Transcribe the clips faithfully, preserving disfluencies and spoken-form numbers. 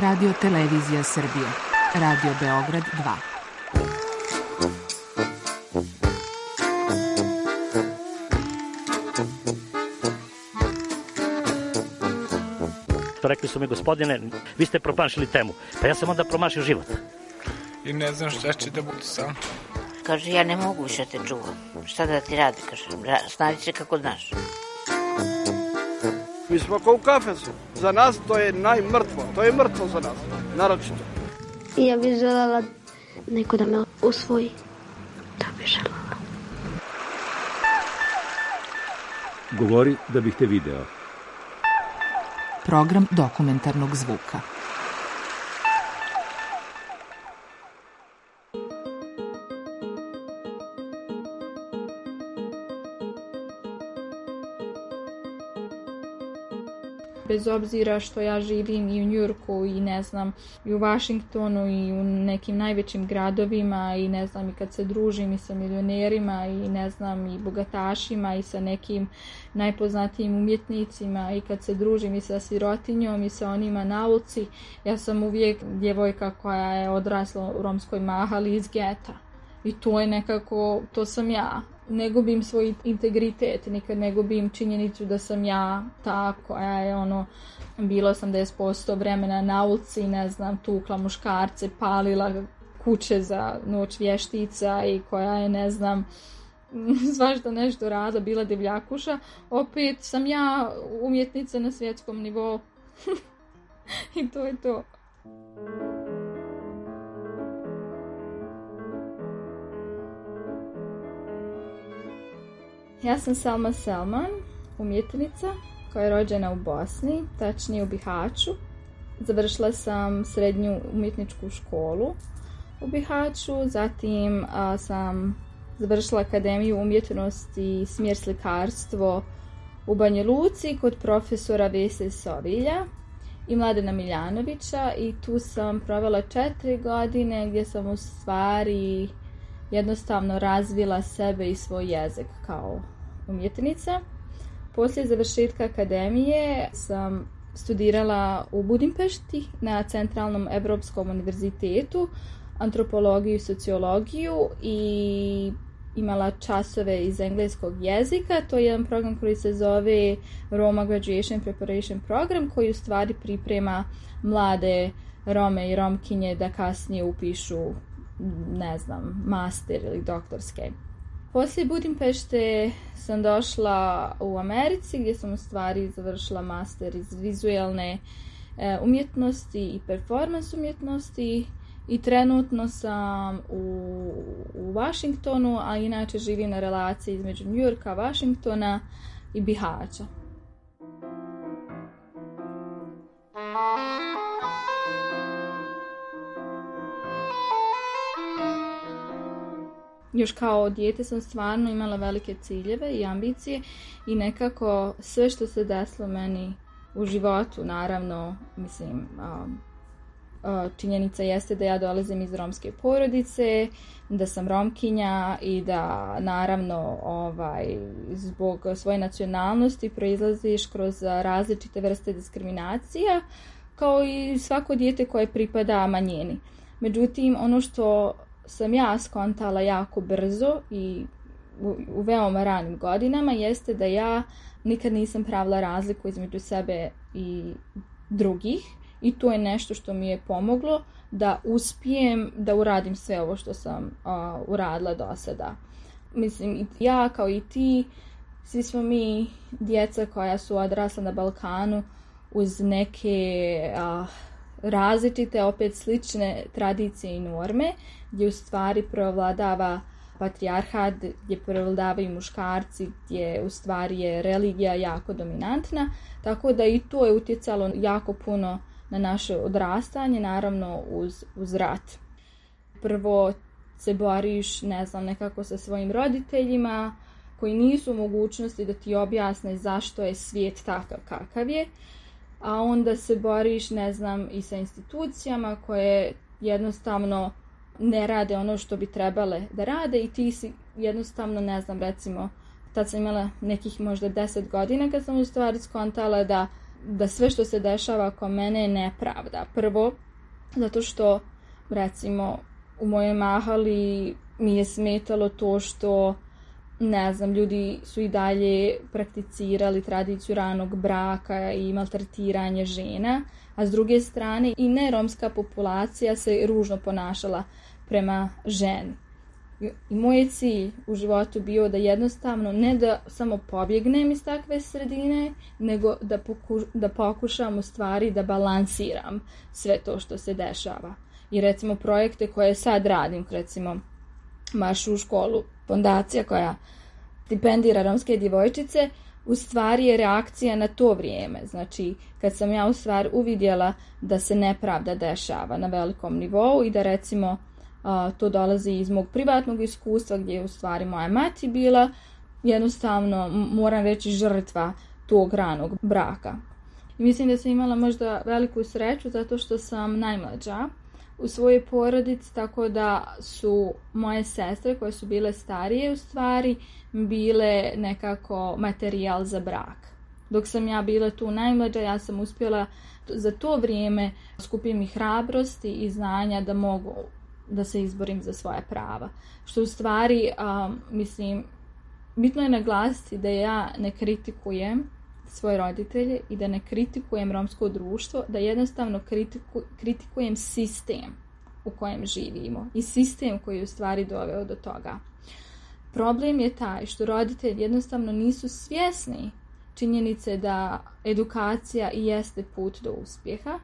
Radio Televizija Srbije. Radio Beograd dva. Rekli su mi, gospodine, vi ste promašili temu. Pa ja sam onda promašio život. I ne znam šta će da bude sam. Kaže, ja ne mogu više te čuvam. Šta da ti radi, kaže, snađi se kako znaš. Mi smo kao u kafesu. Za nas to je najmrtvo. To je mrtvo za nas, naročito. I ja bih željela neko da me usvoji. To bih željela. Govori da bih te video. Program dokumentarnog zvuka. Bez obzira što ja živim i u Njujorku i ne znam i u Vašingtonu i u nekim najvećim gradovima i ne znam i kad se družim i sa milionerima i ne znam i bogatašima i sa nekim najpoznatijim umjetnicima i kad se družim i sa sirotinjom i sa onima na ulici, ja sam uvijek djevojka koja je odrasla u romskoj mahali iz geta. I to je nekako, to sam ja. Ne gubim svoj integritet, nikad ne gubim činjenicu da sam ja ta koja je ono bila osamdeset posto vremena na ulici, ne znam, tukla muškarce, palila kuće za noć vještica i koja je, ne znam, svašta nešto radila, bila divljakuša. Opet sam ja umjetnica na svjetskom nivou. I to je to. Ja sam Salma Selman, umjetnica koja je rođena u Bosni, tačnije u Bihaću. Završila sam srednju umjetničku školu u Bihaću, zatim a, sam završila Akademiju umjetnosti i smjer slikarstvo u Banja Luci kod profesora Vese Sovilja i Mladena Miljanovića i tu sam provela četiri godine gdje sam u stvari jednostavno razvila sebe i svoj jezik kao umjetnica. Poslije završetka akademije sam studirala u Budimpešti na Centralnom Evropskom univerzitetu antropologiju i sociologiju i imala časove iz engleskog jezika. To je jedan program koji se zove Roma Graduation Preparation Program koji u stvari priprema mlade Rome i Romkinje da kasnije upišu, ne znam, master ili doktorske. Poslije Budimpešte sam došla u Americi gdje sam u stvari završila master iz vizualne e, umjetnosti i performance umjetnosti i trenutno sam u, u Vašingtonu, a inače živim na relaciji između Njujorka, Vašingtona i Bihaća. Još kao dijete sam stvarno imala velike ciljeve i ambicije i nekako sve što se desilo meni u životu, naravno, mislim, činjenica jeste da ja dolazim iz romske porodice, da sam Romkinja i da naravno ovaj, zbog svoje nacionalnosti proizlaziš kroz različite vrste diskriminacija, kao i svako dijete koje pripada manjini. Međutim, ono što sam ja skontala jako brzo i u, u veoma ranim godinama jeste da ja nikad nisam pravila razliku između sebe i drugih i to je nešto što mi je pomoglo da uspijem da uradim sve ovo što sam uh, uradila do sada. Mislim, ja kao i ti, svi smo mi djeca koja su odrasla na Balkanu uz neke uh, različite, opet slične tradicije i norme, gdje u stvari prevladava patrijarhat, gdje prevladavaju muškarci, gdje u stvari je religija jako dominantna, tako da i to je utjecalo jako puno na naše odrastanje, naravno uz, uz rat. Prvo se boriš, ne znam, nekako sa svojim roditeljima, koji nisu u mogućnosti da ti objasne zašto je svijet takav kakav je, a onda se boriš, ne znam, i sa institucijama koje jednostavno ne rade ono što bi trebale da rade i ti si jednostavno, ne znam, recimo, tad sam imala nekih možda deset godina kad sam u stvari skontala da da sve što se dešava oko mene je nepravda. Prvo, zato što, recimo, u mojoj mahali mi je smetalo to što, ne znam, ljudi su i dalje prakticirali tradiciju ranog braka i maltretiranje žena, a s druge strane i neromska populacija se ružno ponašala prema ženi. I moj je cilj u životu bio da jednostavno ne da samo pobjegnem iz takve sredine, nego da, poku, da pokušam u stvari da balansiram sve to što se dešava. I recimo projekte koje sad radim, recimo Maršu u školu, fondacija koja stipendira romske djevojčice, u stvari je reakcija na to vrijeme. Znači, kad sam ja u stvari uvidjela da se nepravda dešava na velikom nivou i da recimo a, to dolazi iz mog privatnog iskustva gdje je u stvari moja mati bila jednostavno, moram reći, žrtva tog ranog braka. I mislim da sam imala možda veliku sreću zato što sam najmlađa u svojoj porodici, tako da su moje sestre koje su bile starije u stvari bile nekako materijal za brak. Dok sam ja bila tu najmlađa, ja sam uspjela za to vrijeme skupiti mi hrabrosti i znanja da mogu da se izborim za svoja prava. Što u stvari, um, mislim, bitno je naglasiti da ja ne kritikujem svoje roditelje i da ne kritikujem romsko društvo, da jednostavno kritiku, kritikujem sistem u kojem živimo i sistem koji je u stvari doveo do toga. Problem je taj što roditelji jednostavno nisu svjesni činjenice da edukacija i jeste put do uspjeha.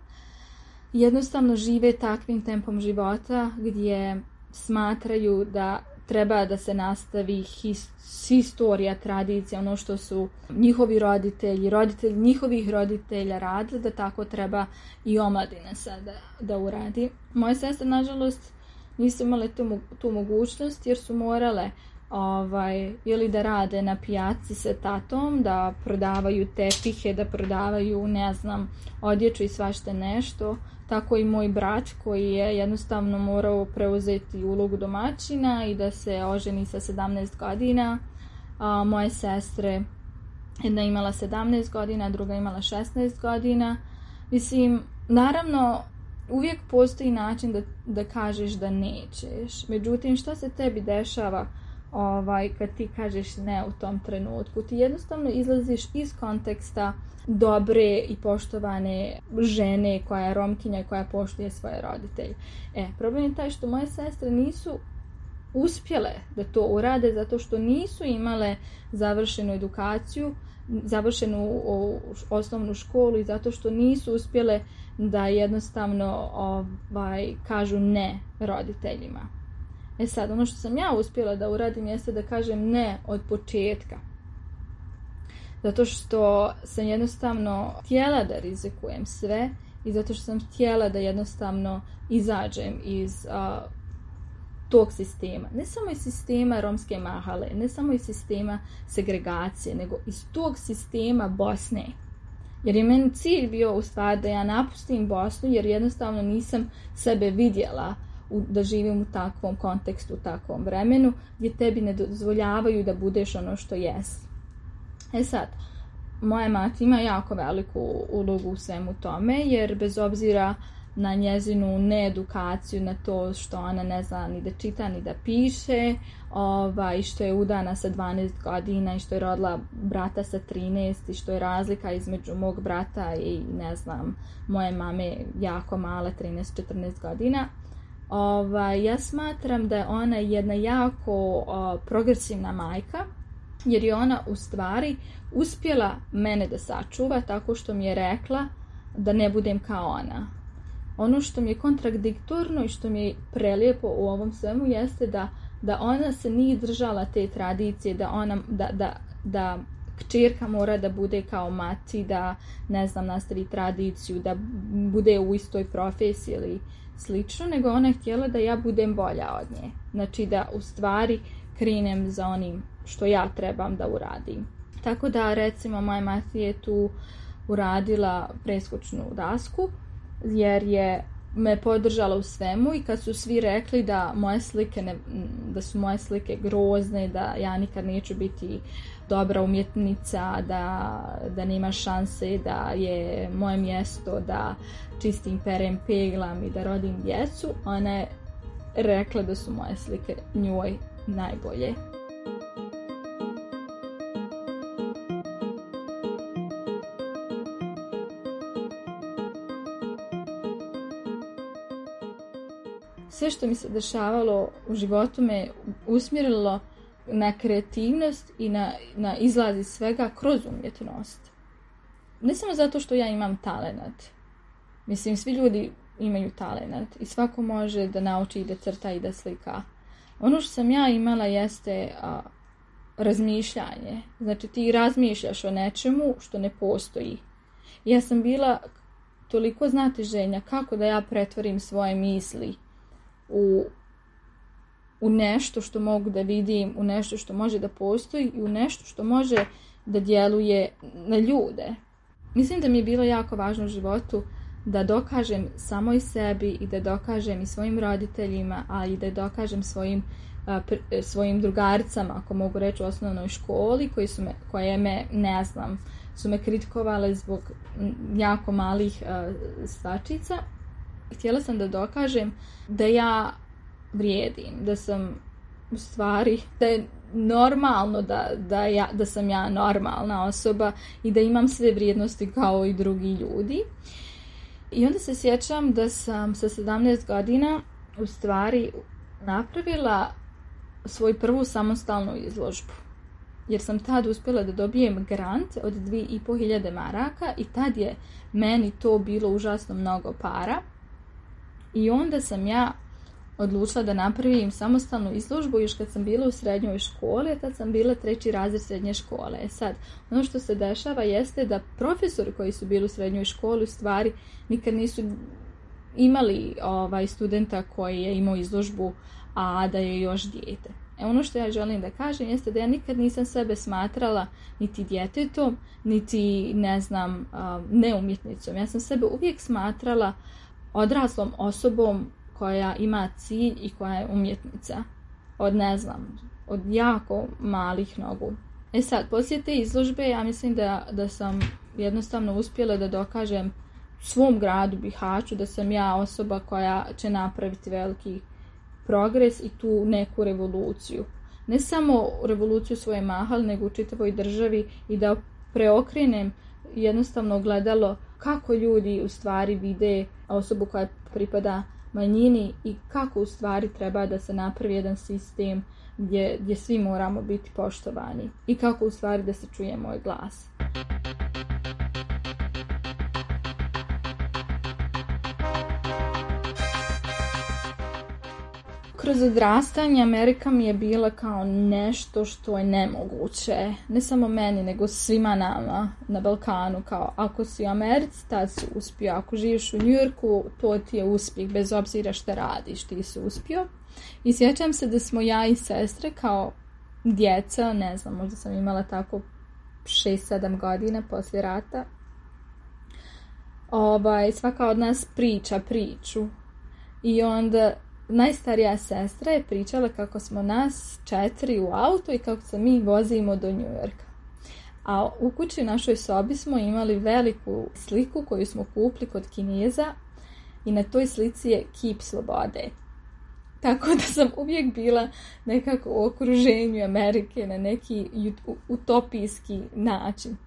Jednostavno žive takvim tempom života gdje smatraju da treba da se nastavi his, historija, tradicija, ono što su njihovi roditelji, roditelji njihovih roditelja radili, da tako treba i omladina sada da uradi. Moje sestre, nažalost, nisu imale tu, tu mogućnost jer su morale ovaj, ili da rade na pijaci sa tatom, da prodavaju tepihe, da prodavaju, ne znam, odjeću i svašta nešto. Tako i moj brat koji je jednostavno morao preuzeti ulogu domaćina i da se oženi sa sedamnaest godina. A, moje sestre, jedna imala sedamnaest godina, druga imala šesnaest godina. Mislim, naravno, uvijek postoji način da, da kažeš da nećeš. Međutim, što se tebi dešava ovaj, kad ti kažeš ne u tom trenutku? Ti jednostavno izlaziš iz konteksta dobre i poštovane žene koja je Romkinja i koja poštuje svoje roditelje. E, problem je taj što moje sestre nisu uspjele da to urade zato što nisu imale završenu edukaciju, završenu osnovnu školu i zato što nisu uspjele da jednostavno ovaj, kažu ne roditeljima. E sad, ono što sam ja uspjela da uradim jeste da kažem ne od početka. Zato što sam jednostavno htjela da rizikujem sve i zato što sam htjela da jednostavno izađem iz uh, tog sistema. Ne samo iz sistema romske mahale, ne samo iz sistema segregacije, nego iz tog sistema Bosne. Jer je meni cilj bio u stvari da ja napustim Bosnu jer jednostavno nisam sebe vidjela u, da živim u takvom kontekstu, u takvom vremenu gdje tebi ne dozvoljavaju da budeš ono što jesi. E sad, moja mati ima jako veliku ulogu u svemu tome, jer bez obzira na njezinu needukaciju, na to što ona ne zna ni da čita ni da piše, ovaj, što je udana sa dvanaest godina i što je rodila brata sa trinaest i što je razlika između mog brata i ne znam, moje mame jako mala, trinaest četrnaest godina. Ovaj, ja smatram da je ona jedna jako o, progresivna majka, jer je ona u stvari uspjela mene da sačuva tako što mi je rekla da ne budem kao ona. Ono što mi je kontradiktorno i što mi je prelijepo u ovom svemu jeste da, da ona se nije držala te tradicije, da, ona, da, da, da kćerka mora da bude kao mati, da ne znam, nastavi tradiciju, da bude u istoj profesiji ili slično, nego ona je htjela da ja budem bolja od nje. Znači da u stvari krenem za onim što ja trebam da uradim. Tako da, recimo, moja mati je tu uradila preskočnu dasku, jer je me podržala u svemu i kad su svi rekli da moje slike ne, da su moje slike grozne, da ja nikad neću biti dobra umjetnica, da, da nema šanse, da je moje mjesto da čistim, perem, peglam i da rodim djecu. Ona je rekla da su moje slike njoj najbolje. Sve što mi se dešavalo u životu me usmjerilo na kreativnost i na, na izlaz iz svega kroz umjetnost. Ne samo zato što ja imam talenat. Mislim, svi ljudi imaju talenat i svako može da nauči i da crta i da slika. Ono što sam ja imala jeste a, razmišljanje. Znači ti razmišljaš o nečemu što ne postoji. Ja sam bila toliko znatiženja kako da ja pretvorim svoje misli u, u nešto što mogu da vidim, u nešto što može da postoji i u nešto što može da djeluje na ljude. Mislim da mi je bilo jako važno u životu da dokažem samoj sebi i da dokažem i svojim roditeljima, ali i da dokažem svojim, a, pr, svojim drugaricama, ako mogu reći, u osnovnoj školi, koji su me, koje me, ne znam, su me kritikovale zbog jako malih a, stvačica. Htjela sam da dokažem da ja vrijedim, da sam u stvari, da je normalno da, da, ja, da sam ja normalna osoba i da imam sve vrijednosti kao i drugi ljudi. I onda se sjećam da sam sa sedamnaest godina u stvari napravila svoju prvu samostalnu izložbu. Jer sam tad uspjela da dobijem grant od dvije i po hiljade maraka i tad je meni to bilo užasno mnogo para. I onda sam ja odlučila da napravim samostalnu izložbu još kad sam bila u srednjoj školi, a tad sam bila treći razred srednje škole. E sad, ono što se dešava jeste da profesori koji su bili u srednjoj školi u stvari nikad nisu imali ovaj, studenta koji je imao izložbu, a da je još dijete. E ono što ja želim da kažem jeste da ja nikad nisam sebe smatrala niti djetetom, niti, ne znam, neumjetnicom. Ja sam sebe uvijek smatrala odraslom osobom koja ima cilj i koja je umjetnica. Od, ne znam, od jako malih nogu. E sad, poslije te izložbe, ja mislim da, da sam jednostavno uspjela da dokažem svom gradu Bihaću da sam ja osoba koja će napraviti veliki progres i tu neku revoluciju. Ne samo revoluciju svoje mahal, nego u čitavoj državi i da preokrenem jednostavno gledalo kako ljudi u stvari vide osobu koja pripada manjini i kako u stvari treba da se napravi jedan sistem gdje, gdje svi moramo biti poštovani i kako u stvari da se čuje moj glas. Kroz odrastanje Amerika mi je bila kao nešto što je nemoguće. Ne samo meni, nego svima nama na Balkanu. Kao ako si u Americi, tad si uspio. Ako živiš u Njujorku, to ti je uspjeh. Bez obzira šta radiš, ti si uspio. I sjećam se da smo ja i sestre kao djeca, ne znam, možda sam imala tako šest sedam godina poslije rata. Ovaj, svaka od nas priča priču. I onda najstarija sestra je pričala kako smo nas četiri u auto i kako se mi vozimo do Njujorka. A u kući u našoj sobi smo imali veliku sliku koju smo kupili kod Kineza i na toj slici je kip slobode. Tako da sam uvijek bila nekako u okruženju Amerike na neki utopijski način.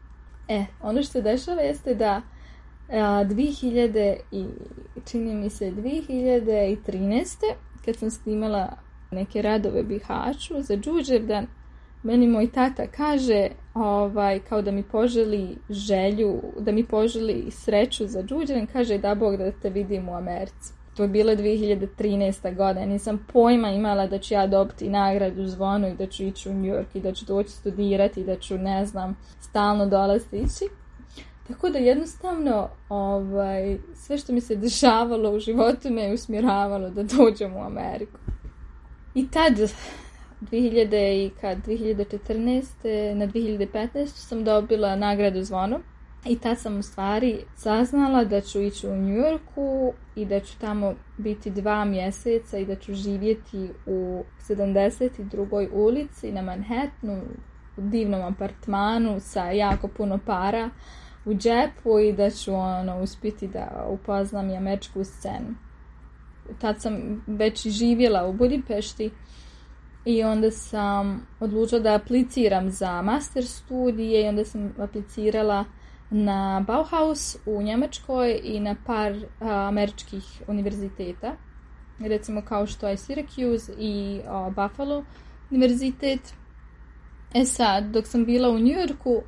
E, ono što se dešava jeste da dvije hiljade i čini mi se dvije hiljade trinaeste kad sam snimala neke radove Bihaću za Đurđevdan, meni moj tata kaže ovaj, kao da mi poželi želju, da mi poželi sreću za Đurđevdan, kaže da Bog da te vidim u Americi. To je bila dvije hiljade trinaesta godina, nisam pojma imala da ću ja dobiti nagradu Zvono i da ću ići u New York i da ću doći studirati i da ću, ne znam, stalno dolaziti ići. Tako da jednostavno ovaj, sve što mi se dešavalo u životu me je usmjeravalo da dođem u Ameriku. I tad, dvije hiljade i kad, dvije hiljade četrnaeste na dvije hiljade petnaestu sam dobila nagradu Zvono. I tad sam u stvari saznala da ću ići u New Yorku i da ću tamo biti dva mjeseca i da ću živjeti u sedamdeset drugoj ulici na Manhattanu divnom apartmanu sa jako puno para u džepu i da ću ono, uspjeti da upoznam i američku scenu. Tad sam već i živjela u Budimpešti i onda sam odlučila da apliciram za master studije i onda sam aplicirala na Bauhaus u Njemačkoj i na par a, američkih univerziteta. Recimo kao što je Syracuse i a, Buffalo univerzitet. E sad, dok sam bila u New Yorku,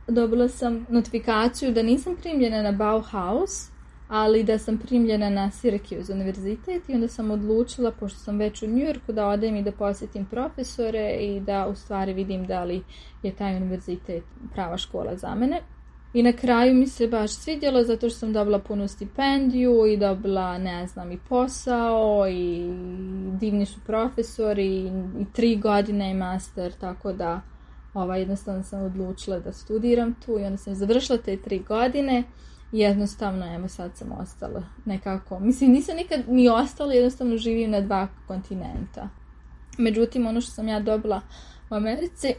dobila sam notifikaciju da nisam primljena na Bauhaus, ali da sam primljena na Syracuse univerzitet i onda sam odlučila, pošto sam već u New Yorku, da odem i da posjetim profesore i da u stvari vidim da li je taj univerzitet prava škola za mene. I na kraju mi se baš svidjelo zato što sam dobila punu stipendiju i dobila, ne znam, i posao i divni su profesori i, i tri godine je master, tako da ovaj, jednostavno sam odlučila da studiram tu i onda sam završila te tri godine i jednostavno, evo sad sam ostala nekako, mislim nisam nikad ni ostala, jednostavno živim na dva kontinenta. Međutim, ono što sam ja dobila u Americi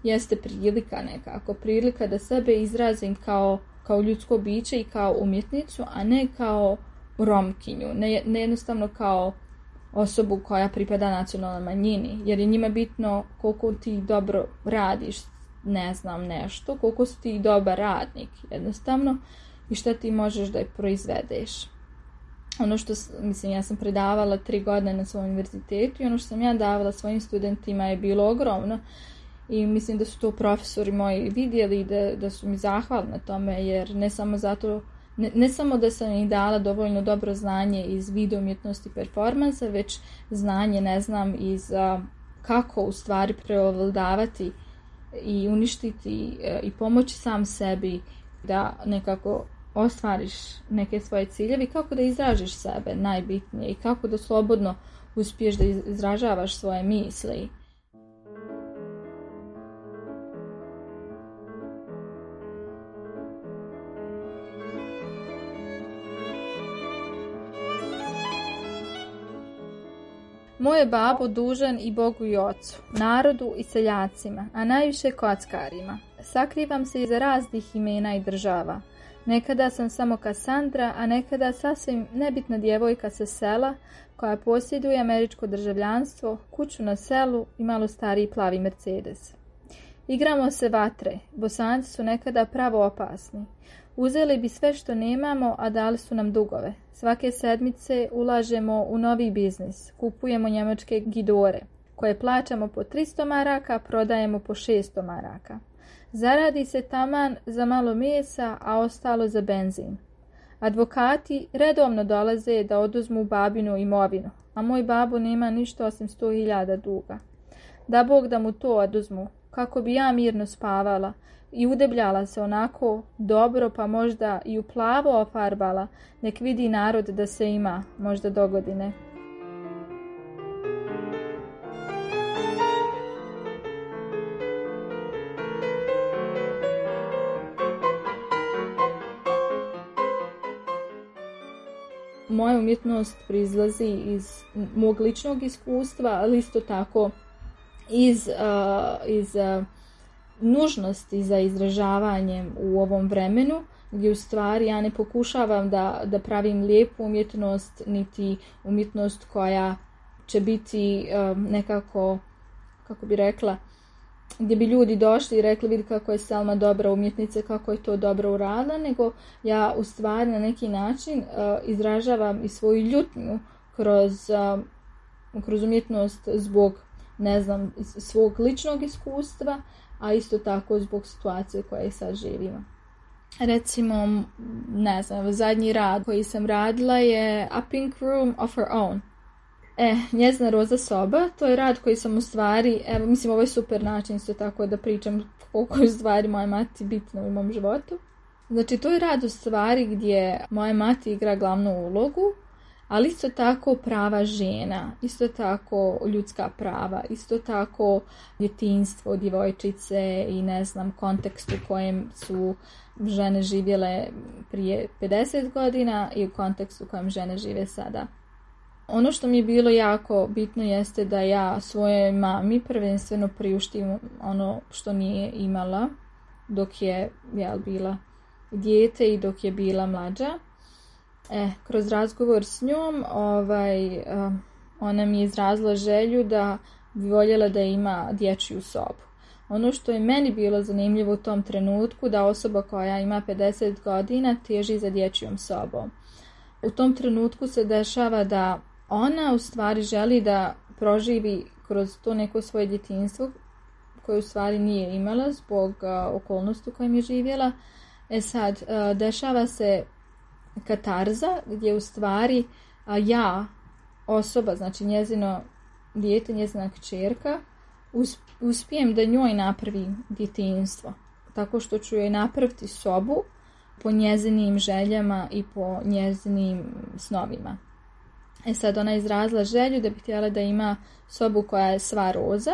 jeste prilika nekako, prilika da sebe izrazim kao, kao ljudsko biće i kao umjetnicu, a ne kao Romkinju, ne, ne jednostavno kao osobu koja pripada nacionalnoj manjini, jer je njima bitno koliko ti dobro radiš, ne znam, nešto, koliko si ti dobar radnik, jednostavno, i šta ti možeš da je proizvedeš. Ono što, mislim, ja sam predavala tri godine na svom univerzitetu i ono što sam ja davala svojim studentima je bilo ogromno i mislim da su to profesori moji vidjeli i da, da su mi zahvalni na tome, jer ne samo zato, ne, ne samo da sam im dala dovoljno dobro znanje iz video umjetnosti performansa, već znanje, ne znam, iz a, kako u stvari preovladavati i uništiti a, i pomoći sam sebi da nekako ostvariš neke svoje ciljeve i kako da izražiš sebe najbitnije i kako da slobodno uspiješ da izražavaš svoje misli. Moje babo dužan i Bogu i ocu, narodu i seljacima, a najviše kockarima. Sakrivam se iza raznih imena i država. Nekada sam samo Kasandra, a nekada sasvim nebitna djevojka sa sela koja posjeduje američko državljanstvo, kuću na selu i malo stariji plavi Mercedes. Igramo se vatre, Bosanci su nekada pravo opasni. Uzeli bi sve što nemamo, a dali su nam dugove. Svake sedmice ulažemo u novi biznis, kupujemo njemačke gidore, koje plaćamo po tristo maraka, prodajemo po šesto maraka. Zaradi se taman za malo mesa, a ostalo za benzin. Advokati redovno dolaze da oduzmu babinu imovinu, a moj babo nema ništa osim sto hiljada duga. Da Bog da mu to oduzmu, kako bi ja mirno spavala i udebljala se onako dobro, pa možda i u plavo ofarbala, nek vidi narod da se ima, možda dogodine. Moja umjetnost proizlazi iz mog ličnog iskustva, ali isto tako iz, uh, iz uh, nužnosti za izražavanjem u ovom vremenu, gdje u stvari ja ne pokušavam da, da pravim lijepu umjetnost, niti umjetnost koja će biti uh, nekako, kako bi rekla, gdje bi ljudi došli i rekli vidi kako je Selma dobra umjetnica, kako je to dobro uradila, nego ja u stvari na neki način uh, izražavam i svoju ljutnju kroz, uh, kroz umjetnost zbog, ne znam, svog ličnog iskustva, a isto tako zbog situacije koje sad živimo. Recimo, ne znam, zadnji rad koji sam radila je A Pink Room of Her Own. E, njezina roza soba, to je rad koji sam u stvari, evo, mislim, ovo je super način isto tako da pričam koliko je stvari moje mati bitno u mom životu. Znači, to je rad u stvari gdje moja mati igra glavnu ulogu, ali isto tako prava žena, isto tako ljudska prava, isto tako djetinjstvo, djevojčice i ne znam, kontekst u kojem su žene živjele prije pedeset godina i u kontekstu u kojem žene žive sada. Ono što mi je bilo jako bitno jeste da ja svojoj mami prvenstveno priuštim ono što nije imala dok je ja bila dijete i dok je bila mlađa. E, kroz razgovor s njom ovaj, ona mi je izrazila želju da bi voljela da ima dječju sobu. Ono što je meni bilo zanimljivo u tom trenutku, da osoba koja ima pedeset godina teži za dječjom sobom. U tom trenutku se dešava da ona u stvari želi da proživi kroz to neko svoje djetinjstvo koje u stvari nije imala zbog uh, okolnosti u kojem je živjela. E sad, uh, dešava se katarza gdje u stvari uh, ja, osoba, znači njezino dijete, njezina kćerka, uspijem da njoj napravi djetinjstvo. Tako što ću joj napraviti sobu po njezinim željama i po njezinim snovima. E sad, ona je izrazila želju da bi htjela da ima sobu koja je sva roza.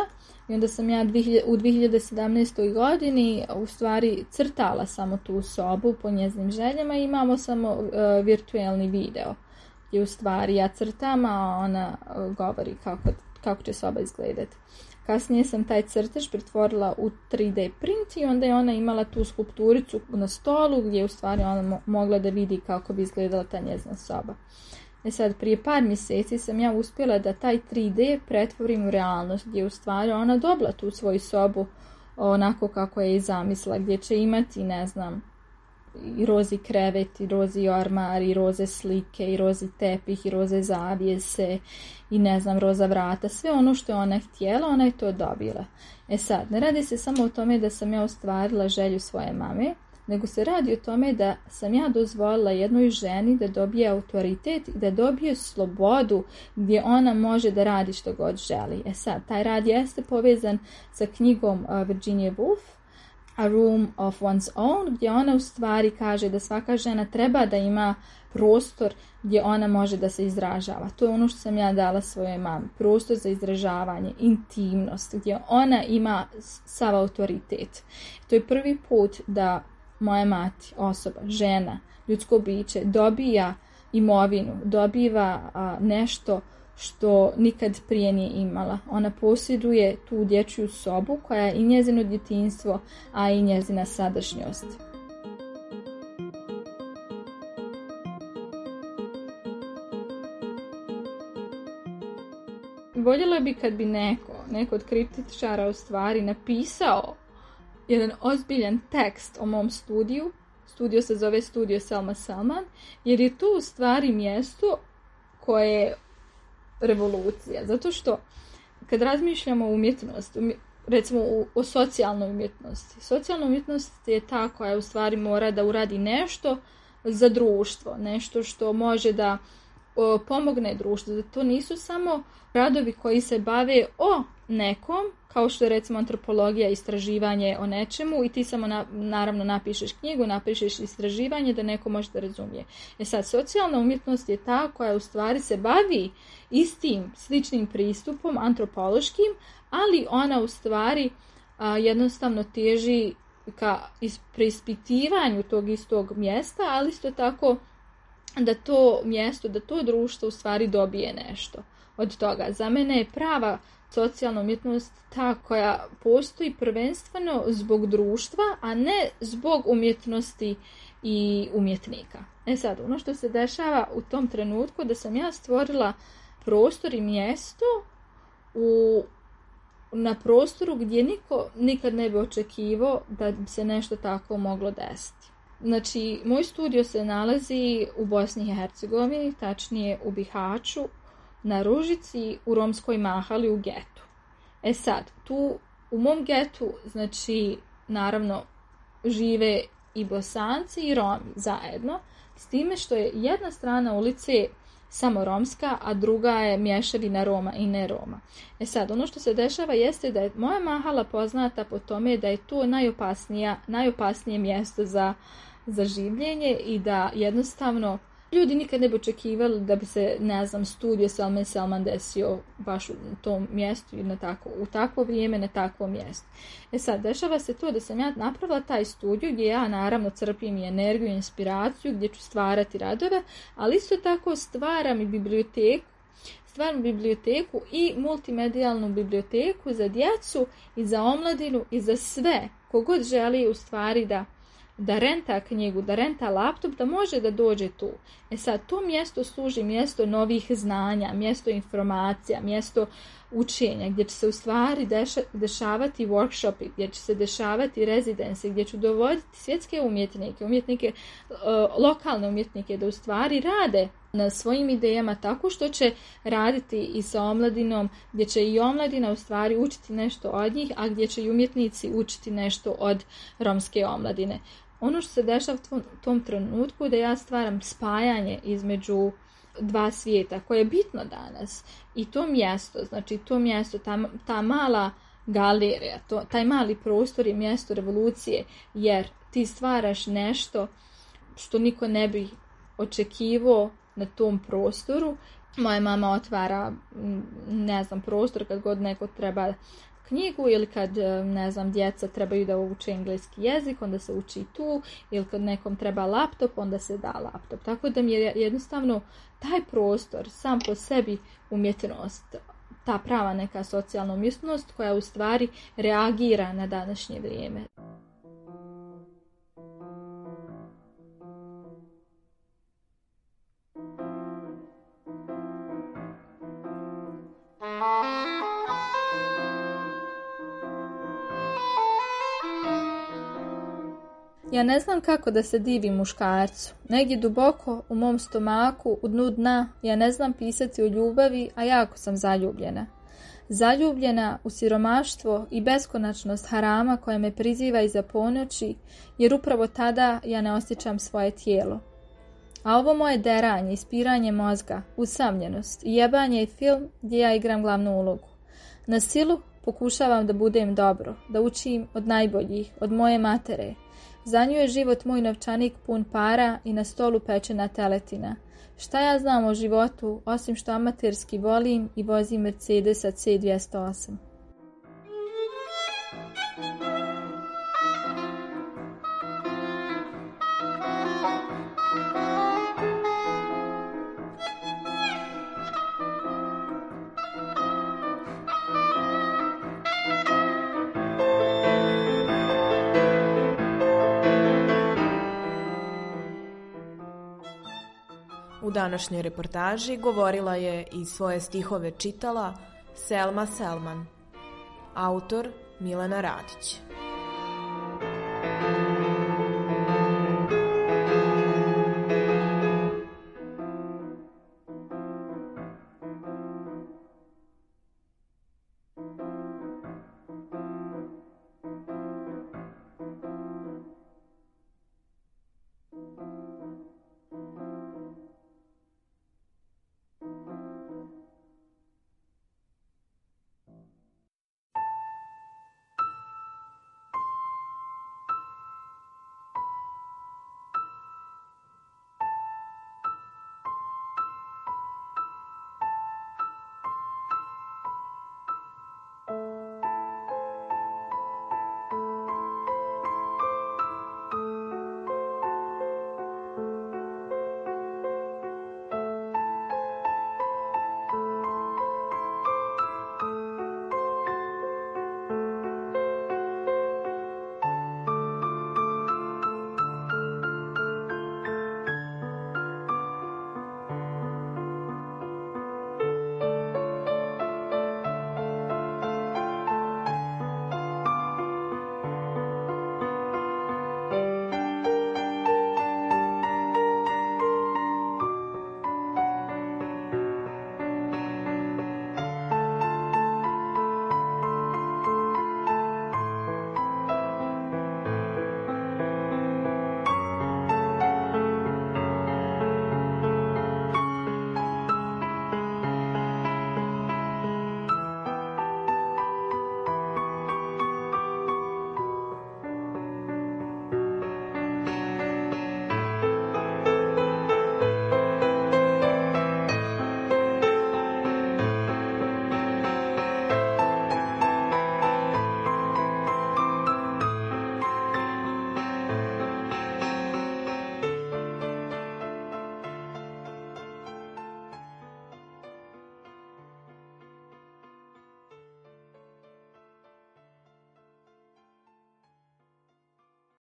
I onda sam ja u dvije hiljade sedamnaestoj godini u stvari crtala samo tu sobu po njezinim željama i imamo samo uh, virtualni video gdje u stvari ja crtam, a ona uh, govori kako, kako će soba izgledati. Kasnije sam taj crtež pretvorila u tri D print i onda je ona imala tu skulpturicu na stolu gdje je u stvari ona mo- mogla da vidi kako bi izgledala ta njezina soba. E sad, prije par mjeseci sam ja uspjela da taj tri D pretvorim u realnost, gdje u stvari ona dobila tu svoju sobu onako kako je i zamislila, gdje će imati, ne znam, i rozi krevet, i rozi ormar, i roze slike, i rozi tepih, i roze zavjese, i ne znam, roza vrata, sve ono što je ona htjela, ona je to dobila. E sad, ne radi se samo o tome da sam ja ostvarila želju svoje mame, nego se radi o tome da sam ja dozvolila jednoj ženi da dobije autoritet i da dobije slobodu gdje ona može da radi što god želi. E sad, taj rad jeste povezan sa knjigom Virginia Woolf, A Room of One's Own, gdje ona u stvari kaže da svaka žena treba da ima prostor gdje ona može da se izražava. To je ono što sam ja dala svojoj mami. Prostor za izražavanje, intimnost, gdje ona ima sav autoritet. To je prvi put da moja mati, osoba, žena, ljudsko biće dobija imovinu, dobiva a, nešto što nikad prije nije imala. Ona posjeduje tu dječju sobu koja je i njezino djetinjstvo, a i njezina sadašnjost. Voljela bi kad bi neko, neko od kritičara u stvari napisao jedan ozbiljan tekst o mom studiju. Studio se zove Studio Selma Selman, jer je to u stvari mjesto koje je revolucija. Zato što kad razmišljamo o umjetnosti, recimo o socijalnoj umjetnosti, socijalna umjetnost je ta koja u stvari mora da uradi nešto za društvo, nešto što može da o, pomogne društvu. Da to nisu samo radovi koji se bave o nekom, kao što je recimo antropologija, istraživanje o nečemu i ti samo na, naravno napišeš knjigu, napišeš istraživanje da neko može da razumije. E sad, socijalna umjetnost je ta koja u stvari se bavi istim, sličnim pristupom, antropološkim, ali ona u stvari a, jednostavno teži ka preispitivanju tog istog mjesta, ali isto tako da to mjesto, da to društvo u stvari dobije nešto od toga. Za mene je prava socijalna umjetnost ta koja postoji prvenstveno zbog društva, a ne zbog umjetnosti i umjetnika. E sad, ono što se dešava u tom trenutku da sam ja stvorila prostor i mjesto u, na prostoru gdje niko nikad ne bi očekivao da bi se nešto tako moglo desiti. Znači, moj studio se nalazi u Bosni i Hercegovini, tačnije u Bihaću, na Ružici, u romskoj mahali u getu. E sad, tu u mom getu, znači, naravno, žive i Bosanci i Romi zajedno, s time što je jedna strana ulice samo romska, a druga je mješavina Roma i ne Roma. E sad, ono što se dešava jeste da je moja mahala poznata po tome da je to najopasnija, najopasnije mjesto za, za življenje i da jednostavno ljudi nikad ne bi očekivali da bi se, ne znam, studio Selma Selman desio baš u tom mjestu ili na tako, u takvo vrijeme, na takvom mjestu. E sad, dešava se to da sam ja napravila taj studio gdje ja naravno crpim i energiju i inspiraciju, gdje ću stvarati radove, ali isto tako stvaram i biblioteku stvarnu biblioteku i multimedijalnu biblioteku za djecu i za omladinu i za sve. Kogod želi u stvari da da renta knjigu, da renta laptop, da može da dođe tu. E sad, to mjesto služi mjesto novih znanja, mjesto informacija, mjesto učenja, gdje će se u stvari deša, dešavati workshopi, gdje će se dešavati rezidencije, gdje ću dovoditi svjetske umjetnike, umjetnike, uh, lokalne umjetnike, da u stvari rade na svojim idejama tako što će raditi i sa omladinom, gdje će i omladina u stvari učiti nešto od njih, a gdje će i umjetnici učiti nešto od romske omladine. Ono što se dešava u tom trenutku da ja stvaram spajanje između dva svijeta koje je bitno danas i to mjesto, znači to mjesto, ta, ta mala galerija, to, taj mali prostor je mjesto revolucije, jer ti stvaraš nešto što niko ne bi očekivao na tom prostoru. Moja mama otvara, ne znam, prostor kad god neko treba knjigu ili kad, ne znam, djeca trebaju da uče engleski jezik, onda se uči tu, ili kad nekom treba laptop, onda se da laptop. Tako da mi je jednostavno taj prostor sam po sebi umjetnost, ta prava neka socijalna umjetnost koja u stvari reagira na današnje vrijeme. Ja ne znam kako da se divim muškarcu. Negdje duboko u mom stomaku, u dnu dna, ja ne znam pisati o ljubavi, a jako sam zaljubljena. Zaljubljena u siromaštvo i beskonačnost harama koja me priziva iza ponoći, jer upravo tada ja ne osjećam svoje tijelo. A ovo moje deranje, ispiranje mozga, usamljenost i jebanje je film gdje ja igram glavnu ulogu. Na silu pokušavam da budem dobro, da učim od najboljih, od moje matere. Za nju je život moj novčanik pun para i na stolu pečena teletina. Šta ja znam o životu, osim što amaterski volim i vozim Mercedesa C dvjesto osam. U današnjoj reportaži govorila je i svoje stihove čitala Selma Selman, autor Milena Radić.